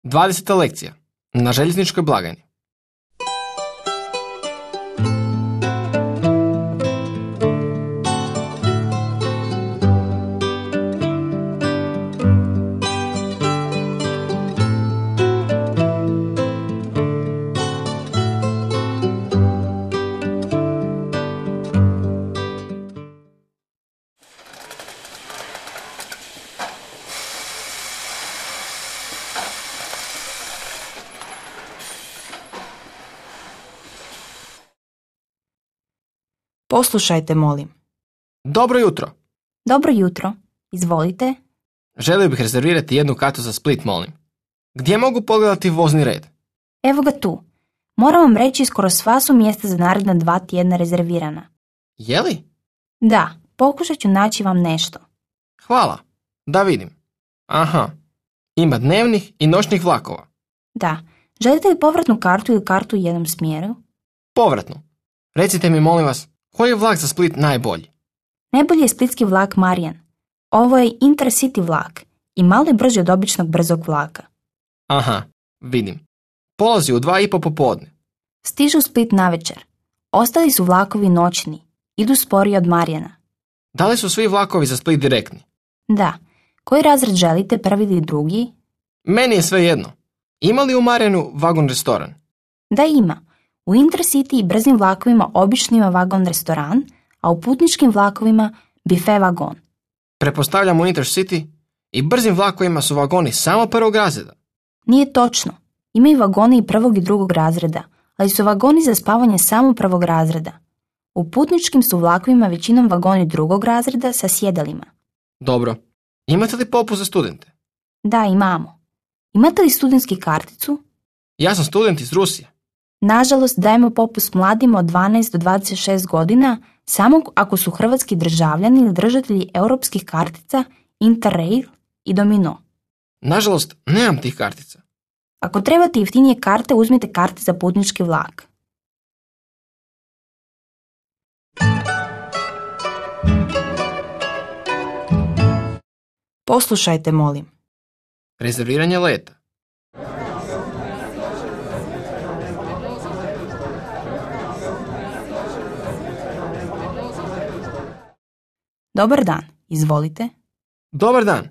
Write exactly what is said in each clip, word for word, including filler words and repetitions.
dvadeseta lekcija. Na željezničkoj blagajni. Poslušajte, molim. Dobro jutro. Dobro jutro. Izvolite. Želio bih rezervirati jednu kartu za Split, molim. Gdje mogu pogledati vozni red? Evo ga tu. Moram vam reći, skoro sva su mjesta za naredna dva tjedna rezervirana. Je li? Da, pokušat ću naći vam nešto. Hvala. Da vidim. Aha. Ima dnevnih i noćnih vlakova. Da. Želite li povratnu kartu ili kartu u jednom smjeru? Povratnu. Recite mi, molim vas, koji je vlak za Split najbolji? Najbolji je splitski vlak Marijan. Ovo je Intercity vlak i malo je brži od običnog brzog vlaka. Aha, vidim. Polazi u dva i po popodne. Stižu u Split navečer. Ostali su vlakovi noćni. Idu sporije od Marijana. Da li su svi vlakovi za Split direktni? Da. Koji razred želite, prvi ili drugi? Meni je sve jedno. Ima li u Marijanu vagon restoran? Da, ima. U Intercity i brzim vlakovima obično ima vagon restoran, a u putničkim vlakovima bife vagon. Pretpostavljam u Intercity i brzim vlakovima su vagoni samo prvog razreda. Nije točno. Imaju vagoni i prvog i drugog razreda, ali su vagoni za spavanje samo prvog razreda. U putničkim su vlakovima većinom vagoni drugog razreda sa sjedalima. Dobro. Imate li popust za studente? Da, imamo. Imate li studentski karticu? Ja sam student iz Rusije. Nažalost, dajemo popust mladima od dvanaest do dvadeset šest godina samo ako su hrvatski državljani ili držatelji europskih kartica Interrail i Domino. Nažalost, nemam tih kartica. Ako trebate jeftinije karte, uzmite karte za putnički vlak. Poslušajte, molim. Rezerviranje leta. Dobar dan, izvolite. Dobar dan.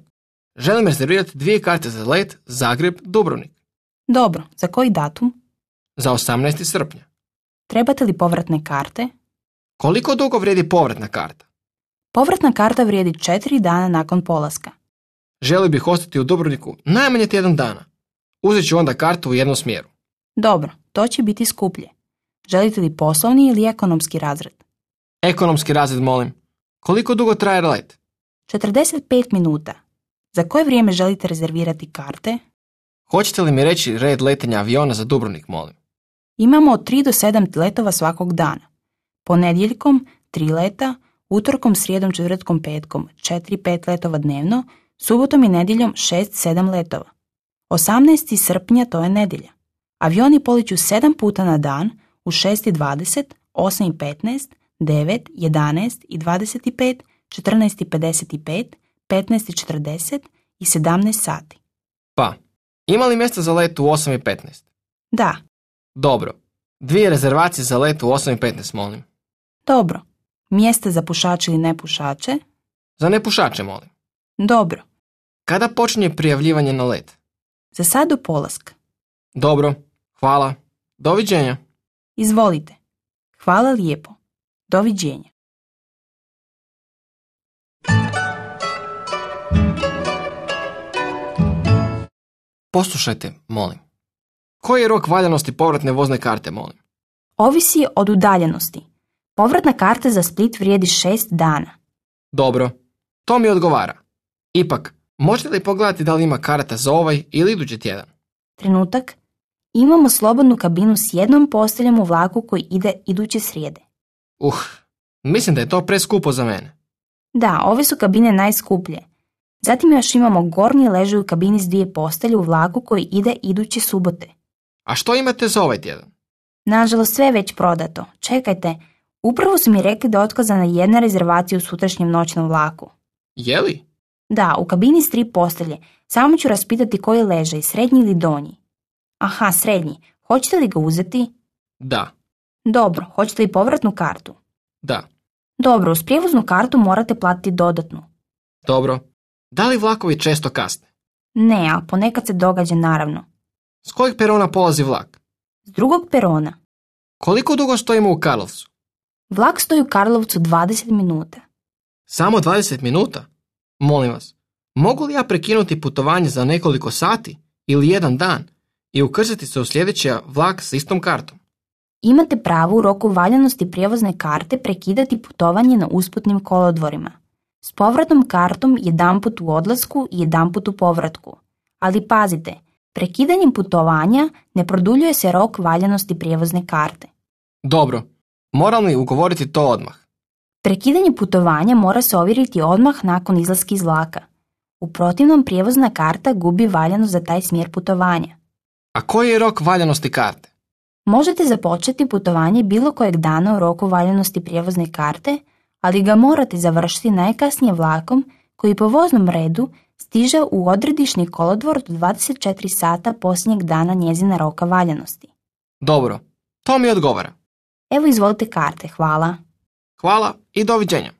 Želim rezervirati dvije karte za let Zagreb-Dubrovnik. Dobro, za koji datum? Za osamnaesti srpnja. Trebate li povratne karte? Koliko dugo vrijedi povratna karta? Povratna karta vrijedi četiri dana nakon polaska. Želio bih ostati u Dubrovniku najmanje tjedan dana. Uzet ću onda kartu u jednom smjeru. Dobro, to će biti skuplje. Želite li poslovni ili ekonomski razred? Ekonomski razred, molim. Koliko dugo traje let? četrdeset pet minuta. Za koje vrijeme želite rezervirati karte? Hoćete li mi reći red letenja aviona za Dubrovnik, molim? Imamo od tri do sedam letova svakog dana. Ponedjeljkom tri leta, utorkom, srijedom, četvrtkom, petkom četiri pet letova dnevno, subotom i nedjeljom šest sedam letova. osamnaesti srpnja to je nedjelja. Avioni poliću sedam puta na dan u šest i dvadeset, osam i petnaest, devet, jedanaest i dvadeset pet, četrnaest i pedeset pet, petnaest i četrdeset i sedamnaest sati. Pa, ima li mjesta za let u osam i petnaest? Da. Dobro. Dvije rezervacije za let u osam i petnaest, molim. Dobro. Mjesta za pušače ili nepušače? Za nepušače, molim. Dobro. Kada počinje prijavljivanje na let? Za sad do polaska. Dobro. Hvala. Doviđenja. Izvolite. Hvala lijepo. Doviđenja. Poslušajte, molim. Koji je rok valjanosti povratne vozne karte, molim? Ovisi od udaljenosti. Povratna karta za Split vrijedi šest dana. Dobro. To mi odgovara. Ipak, možete li pogledati da li ima karata za ovaj ili idući tjedan? Trenutak. Imamo slobodnu kabinu s jednom posteljom u vlaku koji ide iduće srijede. Uh, mislim da je to preskupo za mene. Da, ove su kabine najskuplje. Zatim još imamo gornji ležaj u kabini s dvije postelje u vlaku koji ide iduće subote. A što imate za ovaj tjedan? Nažalost, sve je već prodato. Čekajte, upravo su mi rekli da je otkazana jedna rezervacija u sutrašnjem noćnom vlaku. Je li? Da, u kabini s tri postelje. Samo ću raspitati koji leže, srednji ili donji. Aha, srednji. Hoćete li ga uzeti? Da. Dobro, hoćete li povratnu kartu? Da. Dobro, uz prijevoznu kartu morate platiti dodatnu. Dobro. Da li vlakovi često kasne? Ne, ali ponekad se događa naravno. S kojeg perona polazi vlak? S drugog perona. Koliko dugo stojimo u Karlovcu? Vlak stoji u Karlovcu dvadeset minuta. Samo dvadeset minuta? Molim vas, mogu li ja prekinuti putovanje za nekoliko sati ili jedan dan i ukrcati se u sljedeći vlak s istom kartom? Imate pravo u roku valjanosti prijevozne karte prekidati putovanje na usputnim kolodvorima. S povratnom kartom jedanput u odlasku i jedanput u povratku. Ali pazite, prekidanjem putovanja ne produljuje se rok valjanosti prijevozne karte. Dobro, moram li ugovoriti to odmah? Prekidanje putovanja mora se ovjeriti odmah nakon izlaska iz vlaka. U protivnom prijevozna karta gubi valjanost za taj smjer putovanja. A koji je rok valjanosti karte? Možete započeti putovanje bilo kojeg dana u roku valjanosti prijevozne karte, ali ga morate završiti najkasnije vlakom koji po voznom redu stiže u odredišni kolodvor do dvadeset četiri sata posljednjeg dana njezina roka valjanosti. Dobro, to mi odgovara. Evo izvolite karte, hvala. Hvala i doviđenja.